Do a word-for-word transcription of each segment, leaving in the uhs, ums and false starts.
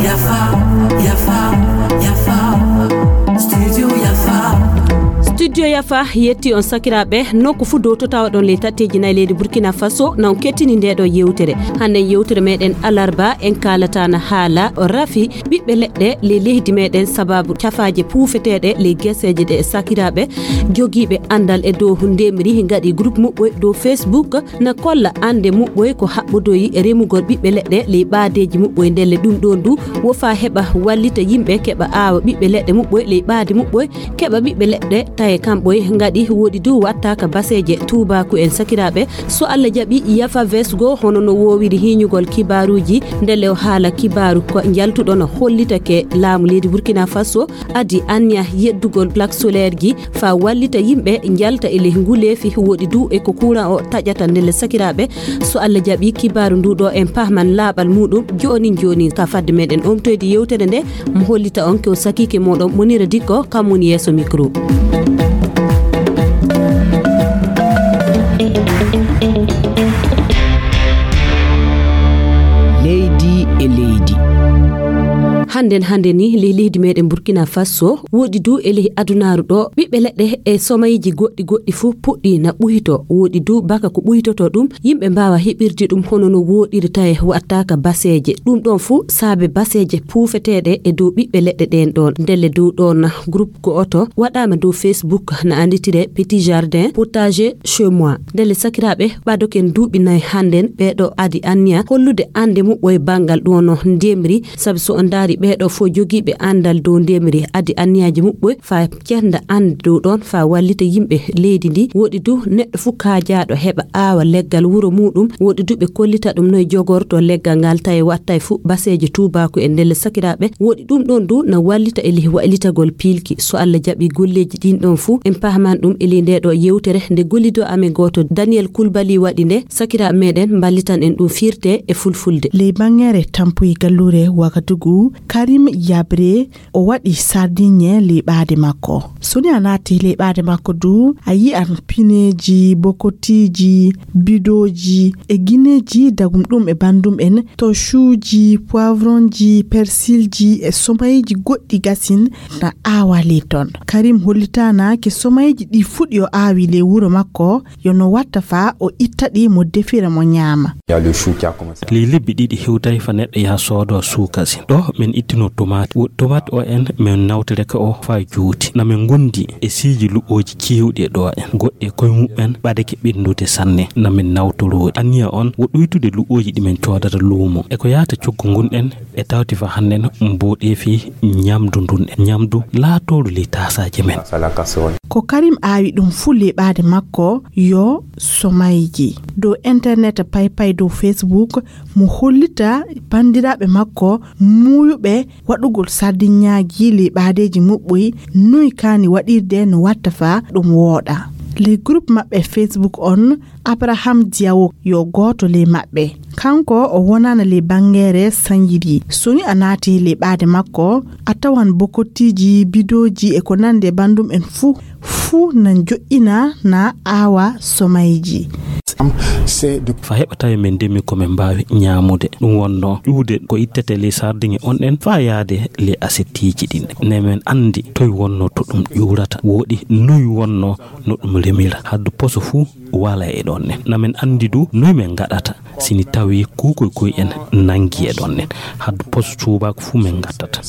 Yafa, yafa, yafa. Studio Yafa. Studio Yafa yetti on sakiraaɓe, nokku fuu dow to tawaɗon ley tatteeji nayi leydi Burkina Faso, na on kettini ndee ɗoo yewtere. Hannde yewtere meɗen alarba, en kaalata na haala rafi ɓiɓɓe leɗɗe ley leydi meɗen sababu cafaaje puufeteeɗe ley geseeje ɗe sakiraaɓe jogiiɓe anndal e dow ndemri ngaɗi groupe muɓɓoy dow Facebook. Na kolla annde muɓɓoy ko haɓɓodoyi e remugol ɓiɓɓe leɗɗe ley ɓaadeeji muɓɓoy, ndelle ɗum ɗoon du wo faa heɓa wallita yimɓe keɓa aawa ɓiɓɓe leɗɗe muɓɓoy ley ɓaade muɓɓoy, keɓa ɓiɓɓe leɗɗe taye kamɓoy ngaɗi woɗi du wattaaka baseeje tuubaaku en sakiraaɓe. So Allah jaɓi, Yafa Vesgo hono no woowiri hiiñugol kibaaruuji, ndelle o haala kibaaru ko njaltuɗo no hollitake laamu leydi Burkina Faso adi anniya yeddugol plaque solaire ji faa wallita yimɓe njalta e ley nguleefi woɗi du e ko kuuran o taƴata ndelle sakiraaɓe. So Allah jaɓi kibaaru ndu ɗo en pahman laaɓal muɗum joonin joonin ka fadde meɗen omtoyde yewtere nde mo hollita on ko sakiike moɗon Monira Dikko kam woni yeeso micro. Leydi e leydi. Hannden hannde ni ley leydi meɗen Burkina Faso woɗi du e ley adunaaru ɗo ɓiɓɓe leɗɗe e somayiji goɗɗi goɗɗi fuu puɗɗi na ɓuyto woɗi du baka ko ɓuytoto ɗum yimɓe mbaawa heɓirde ɗum hono no woɗirta e wattaaka baseeje ɗum ɗon fuu saabe baseeje puufeteeɗe e dow ɓiɓɓe leɗɗe ɗen ɗon ndelle dow ɗon groupe go'oto waɗaama dow Facebook na annditire Petit Jardin Potager Chez Moi. Ndelle sakiraaɓe ɓadoken duuɓi nayi hannden ɓeeɗo adi anniya hollude annde muɓɓoy banngal ɗono ndemri sabi so on ndaari ɓeeɗo fof jogiiɓe anndal dow ndemri adi anniyaaji muɓɓoy faa cernda annde dow ɗon faa wallita yimɓe leydi ndi woɗi du neɗɗo fuu kaajaaɗo heɓa aawa leggal wuro muɗum woɗi du ɓe kollita ɗum noye jogorto leggal ngal tawi wattay fuu baseeje tuubaaku e ndelle sakiraaɓe woɗi ɗum ɗon du na wallita e ley waylitagol piilki so Allah jaɓi golleeji ɗin ɗon fuu en pahman ɗum e ley nde ɗo yewtere nde gollido amen gooto Daniel Kulbali waɗi nde sakiraaɓe meɗen mballitan en ɗum firte e fulfulde. Ley banngere tampuyi galluure Wagadugu, Karim Yabre o waɗi sardiŋe ley ɓaade makko. So ni a naati ley ɓaade makko du, a yi'an pineeji, bokotiiji, bidooji e gineeji dagum ɗum e banndum en, tocuuji, poivronji, persilji e somayiji goɗɗi gasin na aawa ley ton. Karim hollitaana ke somayiji ɗi fuɗi o aawi ley wuro makko, yo no watta faa o itta ɗi mo defira mo ñaama. Ley lebbi ɗiɗi hewtay fa neɗɗo yaha soodo suukasi. Ɗo men ittino tomaati. Wo-, tomaati o en men nawtoreke o faa juuti. Na men ngondi e siiji luɓooji keewɗi e ɗo en. Goɗɗi e koye muɓɓen ɓadake ɓenndude sanne. Na men nawtorooɗi. Anniya on wo ɗuytude luɓooji ɗi men coodata luumo. E ko yaata coggu ngun en e tawti fa hannden mboɗeefi ñamdu ndun en. Ñamdu laatooru ley taasaaje men. Ko Karim aawi ɗum fuu ley ɓaade makko yo somayji. Dow internet paypay dow Facebook mo hollita banndiraaɓe makko muuyuɓe waɗugol sardiŋaaji ley ɓaadeeji muɓɓoy noy kaani waɗirde no watta faa ɗum wooɗa. Ley groupe maɓɓe Facebook on, Abraham Diawo yo gooto ley maɓɓe. Kanko o wonaana ley banngere sañiri. So ni a naati ley ɓaade makko, a tawan bokotiiji, bidooji e ko nanndi e banndum en fuu, fuu na joƴƴina na aawa somayji. Fa heɓa tawi men ndemi ko men mbaawi ñaamude. Ɗum wonnoo ƴuwde ko ittete ley sardiŋe on ɗen faa yaade ley asettiiji ɗin. Ne men anndi toy wonnoo to ɗum ƴuurata. Wooɗi noy wonnoo no ɗum remira. Haddu poso fuu wala e ɗon ne. Na men anndi du noy men ngaɗata. Si ni tawi kuukoy koy en nangi e ɗon ne. Haddu poso tuubaako fuu men ngattata.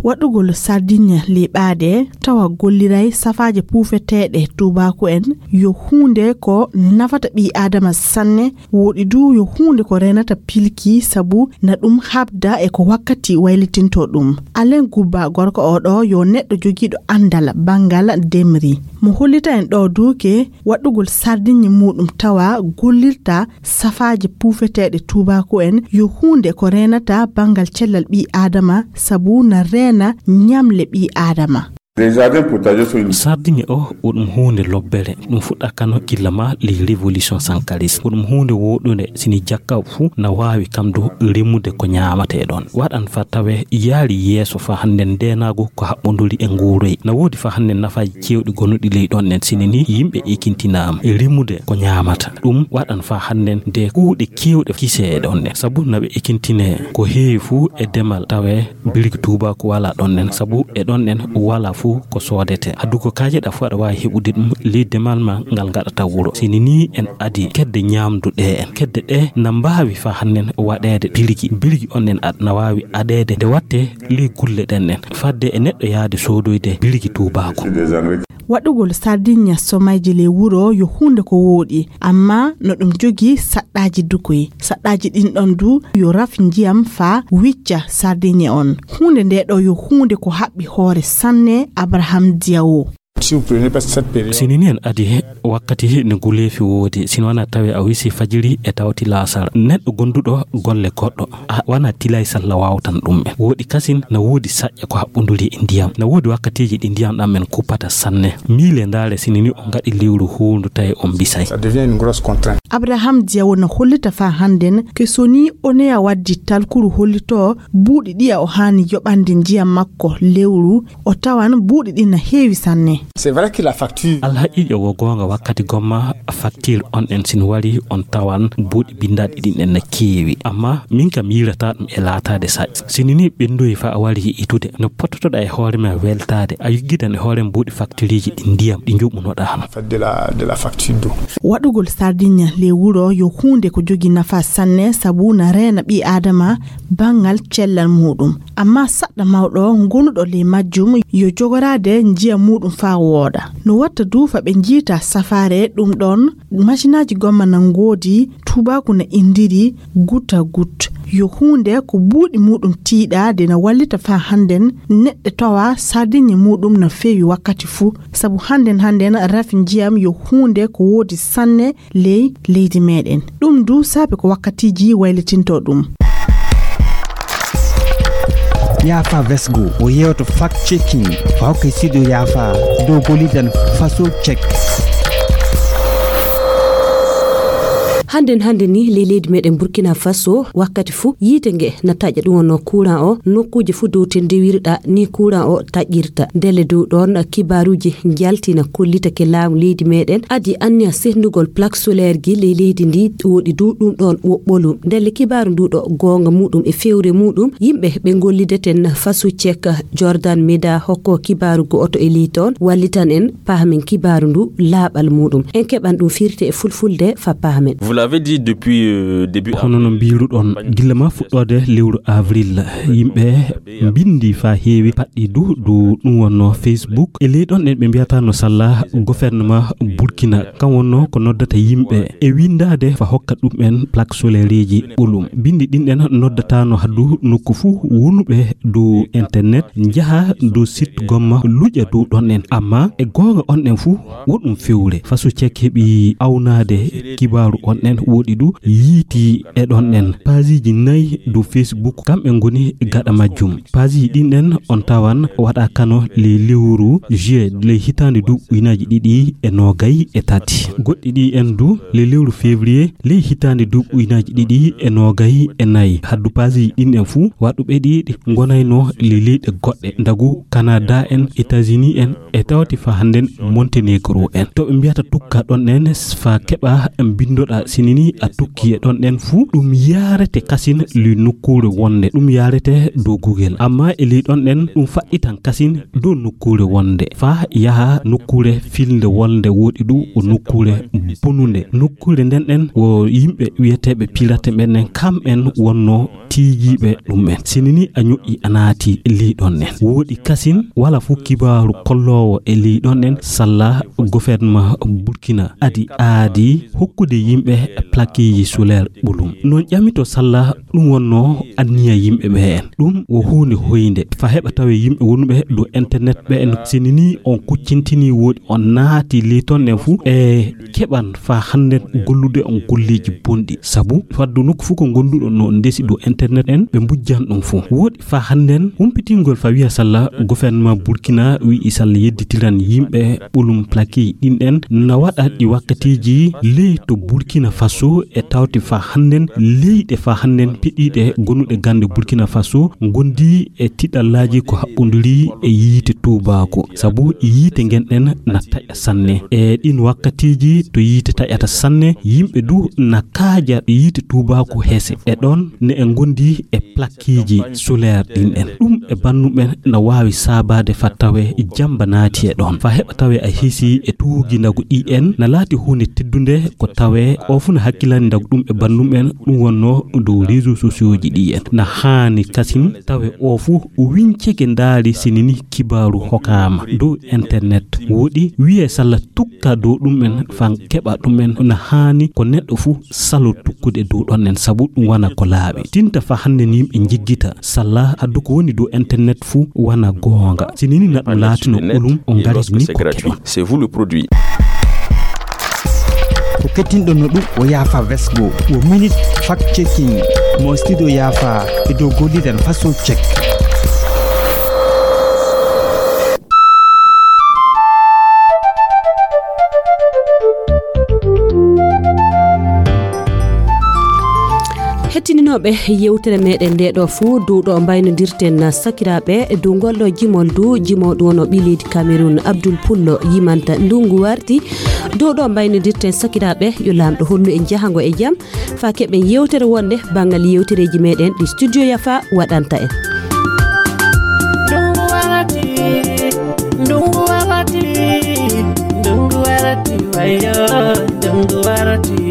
Waɗugol sardiŋe ley ɓaade tawa golliray safaaje puufeteeɗe tuubaako en yo huunde ko nafata ɓii aadama sanne, woɗi du yo huunde ko reenata pilki sabu na ɗum haɓda e ko wakkati waylitinto ɗum. Alen Gubba gorko o ɗo yo neɗɗo jogiiɗo anndal banngal ndemri. Mo hollita en ɗo duuke waɗugol sardiŋe muɗum tawa gollirta safaaje puufeteeɗe tuubaako en yo huunde ko reenata banngal cellal ɓii aadama sabu na reena ñamle ɓii aadama. Sardiŋe o, o ɗum huunde lobbere. Ɗum fuɗɗa kano gilla ma ley révolution sankaris. O ɗum huunde wooɗunde, sini jakka fuu na waawi kam du remude ko ñaamatee ɗon. Waɗan fa tawe yaari yeeso fa hannden ndeenaagu ko haɓɓonduri e nguuroy. Na woodi fa hannden nafaaji keewɗi gonuɗi ley ɗon ɗen, sini ni yimɓe ekintinaama e remude ko ñaamata. Ɗum waɗan fa hannden de kuuɗe keewɗe kisee e ɗon ɗen. Sabu na ɓe ekintinee ko heewi fuu e demal tawe birgi tuubaaku walaa ɗon ɗen, sabu e ɗon ɗen walaa fuu ko soodetee. Haddu ko kaajeɗaa fuu aɗa waawi heɓude ɗum ley demal ma ngal ngaɗata wuro. Sini ni en adii kedde ñaamdu ɗe en. Kedde ɗe na mbaawi fa hannden waɗeede birgi. Birgi on ɗen ad-, na waawi aɗeede nde wattee ley gulle ɗen ɗen. Fadde e neɗɗo yaade soodoyde birgi tuubaaku. Waɗugol sardiŋe somayji ley wuro yo huunde ko wooɗi, amma no ɗum jogii saɗɗaaji dukoy. Saɗɗaaji ɗin ɗon du yo raf njiyam faa wicca sardiŋe on. Huunde nde ɗo yo huunde ko haɓɓi hoore sanne, Abraham Diawo. Sini ni en adii wakkati ne guleefi woodi, sini wanaa tawi a wisi fajiri e tawti laasara. Neɗɗo gonduɗo golle goɗɗo, a, wanaa tilay salla waawtan ɗum en. Wooɗi kasin na woodi saƴƴa ko haɓɓunduri e ndiyam. Na woodi wakkatiiji ɗi ndiyam ɗam en kuppata sanne. Miile ndaare sini ni on ngaɗi lewru huundu tawi on bisay. Ça devient une grosse contrainte. Abraham Diawo na hollita fa hannden ke soni oneya waddi talkuru hollitoo buuɗi ɗiya o haani yoɓande njiyam makko lewru, o tawan buuɗi ɗin na heewi sanne. C'est vrai que la facture. Alhaqiiqa wo goonga wakkati gomma facture on ɗen sini wari on tawan buuɗi binndaaɗi ɗin ɗen na keewi. Amma min kam yiirata ɗum e laataade saƴ. Sini ni ɓenndoyi fa a wari itude. No pottotoɗa e hoore ma weltaade. A yiggitan e hoore ma buuɗi factureji ɗi ndiyam ɗi njoɓunoɗa han. Fait de la, de la facture d'eau. Waɗugol sardiŋe ley wuro yo huunde ko jogi nafa sanne sabu na reena ɓii Aadama banngal cellal muuɗum. Amma saɗɗa mawɗo gonuɗo ley majjum yo jogoraade njiyam muuɗum faa wooɗa. No watta du fa ɓe njiita safaare ɗum ɗon masinaaji gomma na ngoodi, tuubaaku na inndiri goutte à goutte. Yo huunde ko buuɗi muuɗum tiiɗa de na wallita faa hannden neɗɗo tawa sardiŋe muuɗum na feewi wakkati fuu. Sabu hannden hannden rafi njiyam yo huunde ko woodi sanne ley leydi meɗen. Ɗum du saabe ko wakkatiiji waylitinto ɗum. Yaafa Vesgo o yeewto fact checking ko hokkay sido yaafa dow golidan faso check. Hannden hannde ni ley leydi meɗen Burkina Faso wakkati fuu yiite nge na taƴa ɗum wonno courant o nokkuuje fuu dow te ndewirɗa ni courant o taƴirta. Ndelle dow ɗon kibaaruuji njalti na kollita ke laamu leydi meɗen adi anniya sehnugol plaque solaire ji ley leydi ndi woɗi du ɗum ɗon woɓɓolum. Ndelle kibaaru ndu ɗo goonga muɗum e fewre muɗum yimɓe ɓe gollideten faso check Jordan Meda hokko kibaaru go'oto e ley ton wallitan en pahamen kibaaru ndu laaɓal muɗum. En keɓan ɗum firte e fulfulde fa pahamen. Vous l'avez dit depuis, euh, début Hono no mbiruɗon gilla ma fuɗɗoode lewru avril yimɓe mbindi fa heewi paɗɗi du du ɗum wonno Facebook e ley ɗon ɗen ɓe mbiyata no salla gouvernement Burkina kan wonno ko noddata yimɓe e windaade fa hokka ɗum en plaque solaire ji ɓolum. Bindi ɗin ɗen noddatano haddu nokku fuu wonuɓe dow internet njaha dow site gomma luƴa dow ɗon ɗen amma e goonga on ɗen fuu woɗum fewre faso check heɓi awnaade kibaaru on ɗen woɗi du yiiti e ɗon ɗen pageji nayi dow Facebook kamɓe ngoni gaɗa majjum. Pageji ɗin ɗen on tawan waɗa kano ley lewru juillet ley hitaande duuɓi ujunaaji ɗiɗi e noogay e tati. Goɗɗi ɗi en du ley lewru février ley hitaande duuɓi ujunaaji ɗiɗi e noogay e nayi. Haddu pageji ɗin ɗen fuu waɗuɓe ɗi ɗi ngonayno ley leyɗe goɗɗe ndagu Canada en, États-Unis en, e tawti fa hannden Montenegro en. To ɓe mbiyata tukka ɗon ɗen fa keɓa mbindoɗa sinini a tukki e ɗon ɗen fuu ɗum yaarete kasin li nokkuure wonde ɗum yaarete dow Google. Amma e li ɗon ɗen ɗum faɗɗitan kasin dow nokkuure wonde fa yaha nokkuure filnde wonde woɗi ɗum o nokkuure bonunde. Nokkuure nden ɗen wo yimɓe wiyeteeɓe pirate ɓen ɗen kamɓen wonno tiigiiɓe ɗum en. Sinini a ñoƴƴi a naati ley ɗon en. Wooɗi kasin wala fuu kibaaru kolloowo e ley ɗon en salla gouvernement Burkina adi aadi hokkude yimɓe plaqueji solaire ɓolum. Noon ƴamito salla ɗum wonnoo anniya yimɓe ɓe en. Ɗum wo huunde hoynde fa heɓa tawe yimɓe wonɓe dow internet ɓe en. Sini ni on kuccintini woɗi on naati ley ton en fuu e keɓan fa hannden gollude on golleeji bonɗi. Sabu faddu nokku fuu ko gonduɗo no ndesi dow internet en ɓe mbujjan ɗum fuu. Woɗi fa hannden humpitingol fa wiya salla gouvernement Burkina wi'i salla yedditiran yimɓe ɓolum plaqueji ɗin en na waɗa ɗi wakkatiiji ley to Burkina Faso e tawti fa hannden leyɗe fa hannden piɗiiɗe gonuɗe gannde Burkina Faso ngondi e tiɗallaaji ko haɓɓondiri e yiite tuubaako. Sabu yiite ngen ɗen na taƴa sanne. E ɗin wakkatiiji to yiite taƴata sanne, yimɓe du na kaaja yiite tuubaako hese. E ɗon ne e ngondi e plaqueji solaire ɗin en. Ɗum e banndum en na waawi saabaade fa tawe jamba naati e ɗon. Fa heɓa tawe a hisi e tuugindagu ɗi en na laati huunde teddunde ko tawe o fuu na hakkilani ndagu ɗum e banndum en ɗum wonnoo dow réseaux sociaux ji ɗi en. Na haani kasin tawe o fuu winceke ndaari sinini kibaaru hokaama dow internet. Woɗi wiye salla tukka dow ɗum en fan keɓa ɗum en na haani ko neɗɗo fuu salo tukkude dow ɗon en sabu ɗum wana ko laaɓi. Tinta fa hannde ni yimɓe njiggita salla addu ko woni dow internet fuu wana goonga. Sinini na ɗum laatino ɓolum o ngari ni ko keɗon. C'est vous le produit. Ko kettinɗon no ɗum o yaafa vesgo wo minute fact checking mo studio yaafa e dow golliren façon check. Hettininooɓe yewtere meɗen nde ɗo fuu dow ɗo mbaynodirten sakiraaɓe dow ngol ɗo jimol du jimooɗo wono ɓii leydi Cameroun Abdoul Pullo yimanta ndungu warti. Dow ɗo mbaynodirten sakiraaɓe yo laamɗo hollu en jahango e jam fa keɓen yewtere wonde banngal yewtereeji meɗen ɗi studio yafa waɗanta en. Ndungu warati, ndungu warati, ndungu warati, wayo, ndungu warati.